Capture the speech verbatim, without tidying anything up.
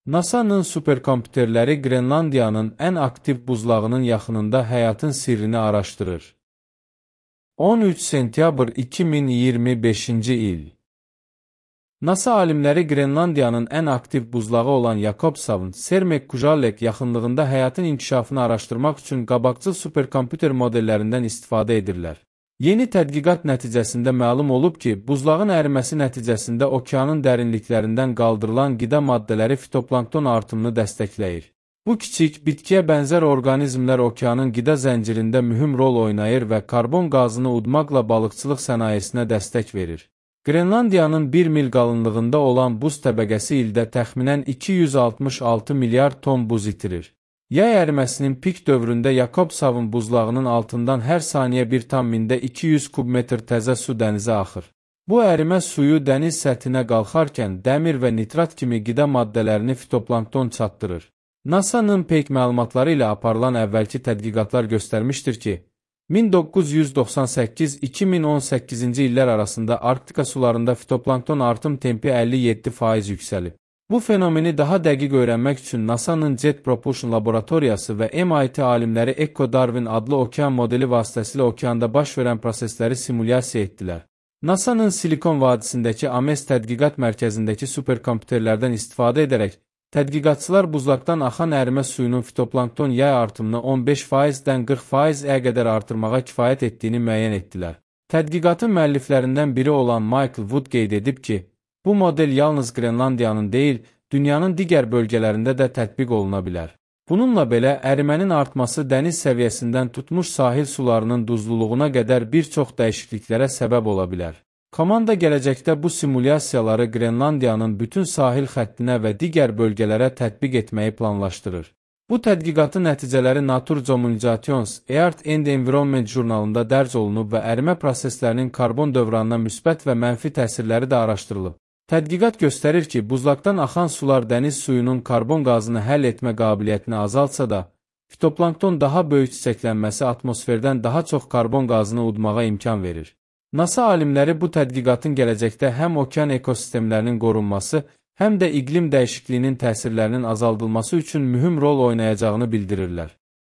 NASA'nın superkompüterləri Qrenlandiyanın ən aktiv buzlağının yaxınında həyatın sirrini araşdırır. on üç sentyabr iki min iyirmi beşinci il. NASA alimləri Qrenlandiyanın ən aktiv buzlağı olan Jakobshavn Sermek-Kujalleq yaxınlığında həyatın inkişafını araşdırmaq üçün qabaqcıl superkompüter modellərindən istifadə edirlər. Yeni tədqiqat nəticəsində məlum olub ki, buzlağın əriməsi nəticəsində okeanın dərinliklərindən qaldırılan qida maddələri fitoplankton artımını dəstəkləyir. Bu kiçik, bitkiyə bənzər orqanizmlər okeanın qida zəncirində mühüm rol oynayır və karbon qazını udmaqla balıqçılıq sənayesinə dəstək verir. Qrenlandiyanın bir mil qalınlığında olan buz təbəqəsi ildə təxminən iki yüz altmış altı milyard ton buz itirir. Yay əriməsinin pik dövründə Jakobshavn buzlağının altından hər saniyə bir tam mində iki yüz kubmetr təzə su dənizə axır. Bu ərimə suyu dəniz səthinə qalxarkən dəmir və nitrat kimi qida maddələrini fitoplankton çatdırır. NASA'nın peyk məlumatları ilə aparılan əvvəlki tədqiqatlar göstərmişdir ki, min doqquz yüz doxsan səkkiz - iki min on səkkizinci illər arasında Arktika sularında fitoplankton artım tempi əlli yeddi faiz yüksəlib. Bu fenomeni daha dəqiq öyrənmək üçün NASA'nın Jet Propulsion laboratoriyası və M I T alimləri Echo Darwin adlı okean modeli vasitəsilə okeanda baş verən prosesləri simulyasiya etdilər. NASA'nın Silikon vadisindəki Ames tədqiqat mərkəzindəki superkompüterlərdən istifadə edərək, tədqiqatçılar buzlaqdan axan ərimə suyunun fitoplankton yay artımını on beş faizdən qırx faizə qədər artırmağa kifayət etdiyini müəyyən etdilər. Tədqiqatın müəlliflərindən biri olan Michael Wood qeyd edib ki, bu model yalnız Qrenlandiyanın deyil, dünyanın digər bölgələrində də tətbiq oluna bilər. Bununla belə, ərimənin artması dəniz səviyyəsindən tutmuş sahil sularının duzluluğuna qədər bir çox dəyişikliklərə səbəb ola bilər. Komanda gələcəkdə bu simulyasiyaları Qrenlandiyanın bütün sahil xəttinə və digər bölgələrə tətbiq etməyi planlaşdırır. Bu tədqiqatın nəticələri Nature Communications, Earth and Environment jurnalında dərc olunub və ərimə proseslərinin karbon dövranına müsbət və mənfi təsirləri də araşdırılıb. Tədqiqat göstərir ki, buzlaqdan axan sular dəniz suyunun karbon qazını həll etmə qabiliyyətini azaltsa da, fitoplankton daha böyük çiçəklənməsi atmosferdən daha çox karbon qazını udmağa imkan verir. NASA alimləri bu tədqiqatın gələcəkdə həm okean ekosistemlərinin qorunması, həm də iqlim dəyişikliyinin təsirlərinin azaldılması üçün mühüm rol oynayacağını bildirirlər.